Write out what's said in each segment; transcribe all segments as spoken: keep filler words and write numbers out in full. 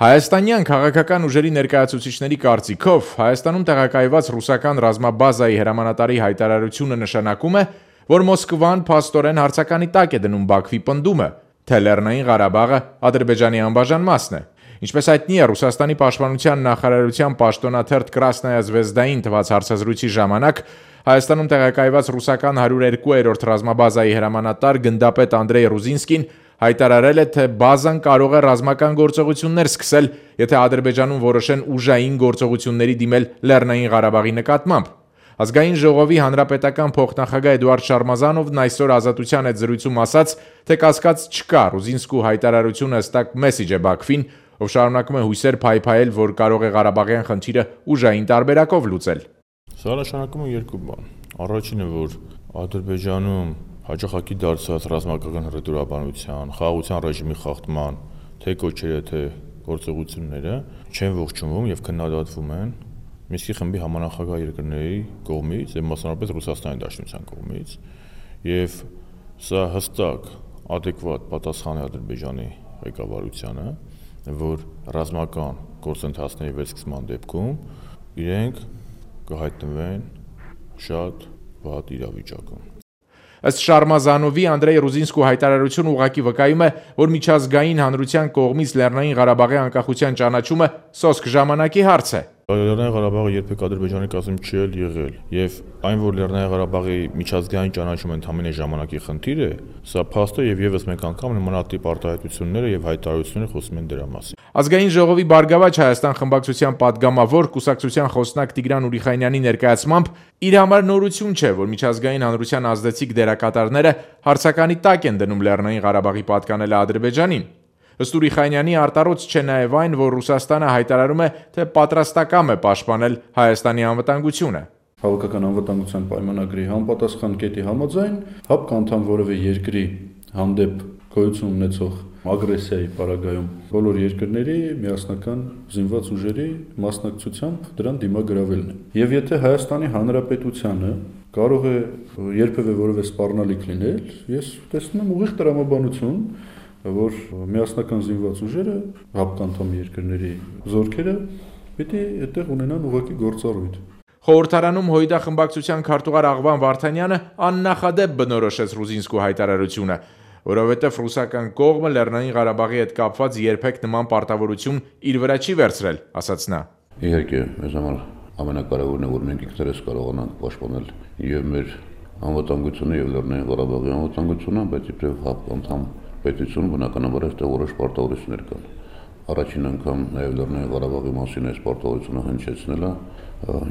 Հայաստանյան քաղաքական ուժերի ներկայացուցիչների կարծիքով Հայաստանում տեղակայված ռուսական ռազմաբազայի հրամանատարի հայտարարությունը նշանակում է, որ Մոսկվան փաստորեն հարցականի տակ է դնում Բաքվի պնդումը, թե Լեռնային Ղարաբաղը Ադրբեջանի անբաժան մասն է։ Ինչպես հայտնի է, Ռուսաստանի պաշտպանության նախարարության պաշտոնաթերթ Կրասնայա Զվեզդային տված հարցազրույցի ժամանակ Հայաստանում տեղակայված ռուսական հարյուր երկու-րդ ռազմաբազայի հրամանատար գնդապետ Անդրեյ Ռուզինսկին հայտարարել է, թե բազան կարող է ռազմական գործողություններ սկսել, եթե Ադրբեջանում որոշեն ուժային գործողությունների դիմել Լեռնային Ղարաբաղի նկատմամբ։ Ազգային ժողովի հանրապետական փոխնախագահ Էդուարդ Շարմազանովն այսօր Ազատության հետ զրույցում ասաց, թե կասկած չկա, Ռուզինսկու հայտարարությունը հստակ մեսիջ է Բաքվին, ով շարունակում է հույսեր փայփայել, որ կարող է Ղարաբաղյան խնդիրը ուժային տարբերակով լուծել։ Սա նշանակում է երկու բան։ Առաջինը, որ Ադրբեջանում հաջողակի դարձած ռազմական հռետորաբանության, խաղաղության ռեժիմի խախտման թե կոչերը, թե գործողությունները չեն ողջունվում եւ քննադատվում են Մինսկի խմբի համանախագահ երկրների կողմից եւ մասնավորապես Ռուսաստանի Դաշնության կողմից եւ սա հստակ adekvat պատասխան է Ադրբեջանի ղեկավարությանը, որ ռազմական գործընթացների վերսկսման դեպքում իրենք կհայտնվեն շատ վատ իրավիճակում։ Ըստ Շարմազանովի, Անդրեյ Ռուզինսկու հայտարարությունը ուղղակի վկայում է, որ միջազգային հանրության կողմից Լեռնային Ղարաբաղի անկախության ճանաչումը սոսկ ժամանակի հարց է։ Լեռնային Ղարաբաղը երբեք Ադրբեջանի կազմում չի եղել, եւ այն, որ Լեռնային Ղարաբաղի միջազգային ճանաչումը ընդհանրապես ժամանակի խնդիր է, սա փաստ է եւ եւս մեկ անգամ նմանատիպ արտահայտությունները եւ հայտարարությունները խոսում են դրա մասին։ Ազգային ժողովի Բարգավաճ Հայաստան խմբակցության падգամավոր կուսակցության խոսնակ Տիգրան Ուրիխանյանի ներկայացմամբ իր համար նորություն չէ, որ միջազգային հանրության ազդեցիկ դերակատարները հարցականի տակ են դնում Լեռնային Ղարաբաղի պատկանելը Ադրբեջանին։ Ըստ Ուրիխանյանի արտարոց չէ նաև այն, որ Ռուսաստանը հայտարարում է, թե պատրաստակամ է պաշտպանել Հայաստանի անվտանգությունը։ Հավաքական անվտանգության պայմանագրի համապատասխան կետի համաձայն ՀԱՊԿ անդամ որևէ երկրի հանդեպ գոյություն ունեցող ագրեսիայի պարագայում բոլոր երկրների միասնական զինված ուժերի մասնակցությամբ դրան դիմագրավելն է։ Եվ եթե Հայաստանի Հանրապետությանը կարող է երբևէ որևէ սպառնալիք լինել, ես տեսնում եմ ուղիղ տրամաբանություն, որ միասնական զինված ուժերը ՀԱՊԿ անդամ երկրների զորքերը պիտի այդտեղ ունենան ուղղակի գործառույթ։ Խորհրդարանում Հույդա խմբակցության քարտուղար Աղվան Վարդանյանը աննախադեպ բնորոշեց Ռուզինսկու հայտարարությունը, որովհետև ռուսական կողմը Լեռնային Ղարաբաղի հետ կապված երբեք նման պարտավորություն իր վրա չի վերցրել, ասաց նա։ Իհարկե, մեզ համար ամենակարևորն է, որ մենք ինքներս կարողանանք պաշտպանել եւ մեր անվտանգությունը եւ Լեռնային Ղարաբաղի անվտանգությունը, բայց իբրև ՀԱՊԿ անդամ պետություն բնականաբար այստեղ որոշ պարտավորություններ կան։ Առաջին անգամ նաև Լեռնային Ղարաբաղի մասին այս պարտավորությունը հնչեցնելը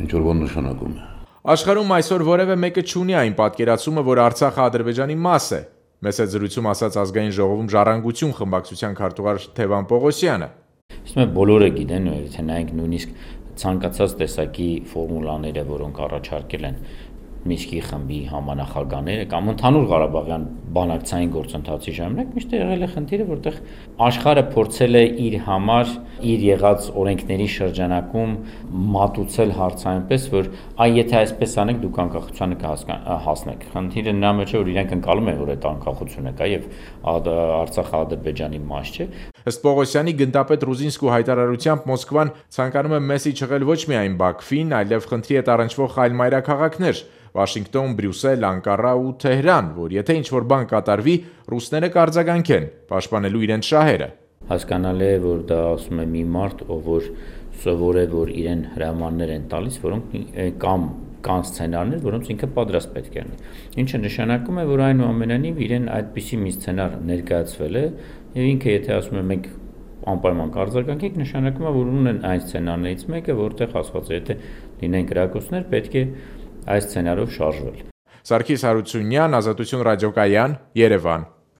ինչ-որ բան նշանակում է։ Աշխարհում այսօր որևէ մեկը չունի այն պատկերացումը, որ Արցախը Ադրբեջանի մաս է, մեծ է զրույցում ասաց Ազգային ժողովում Ժառանգություն խմբակցության քարտուղար Թևան Պողոսյանը։ Իսկ մենք բոլորը գիտեն, եթե նայենք նույնիսկ ցանկացած տեսակի ֆորմուլաները, որոնք առաջարկել են Մինսկի խմբի համանախագահները կամ ընդհանուր Ղարաբաղյան բանակցային գործընթացի ժամանակ միշտ եղել է խնդիրը, որտեղ աշխարհը փորձել է իր համար իր եղած օրենքների շրջանակում մատուցել հարցը այնպես, որ այ եթե այսպես անեք, դուք անկախությանը կհասնեք։ Խնդիրը նրա մեջ է, որ իրենք ընկալում են, որ այդ անկախությունը կա եւ Արցախը Ադրբեջանի մաս չէ։ Ըստ Պողոսյանի, գնդապետ Ռուզինսկու հայտարարությամբ Մոսկվան ցանկանում է մեսիջ եղել ոչ միայն Բաքվին, այլև խնդրի հետ առնչվող այլ մայրաքաղաքներ՝ Վաշինգտոն, Բրյուսել, Անկարա ու Թեհրան, որ եթե ինչ-որ բան կատարվի, ռուսները կարձագանքեն, պաշտպանելու իրենց շահերը։ Հասկանալի է, որ դա ասում է մի մարդ, ով որ սովոր է, որ իրեն հրամաններ են տալիս, որոնք կամ կան սցենարներ, որոնց ինքը պատրաստ պետք է լինի։ Ինչը նշանակում է, որ այնուամենայնիվ իրեն այդպիսի մի սցենար ներկայացվել է, եւ ինքը եթե ասում է մենք անպայման կարձագանքենք, նշանակում է, որ ունեն այն սցենարներից մեկը, որտեղ ասված է, եթե լինեն կրակոցներ, պետք է այս սցենարով շարժվել։ Սարգիս Հարությունյան, Ազատություն ռադիոկայան, Երևան։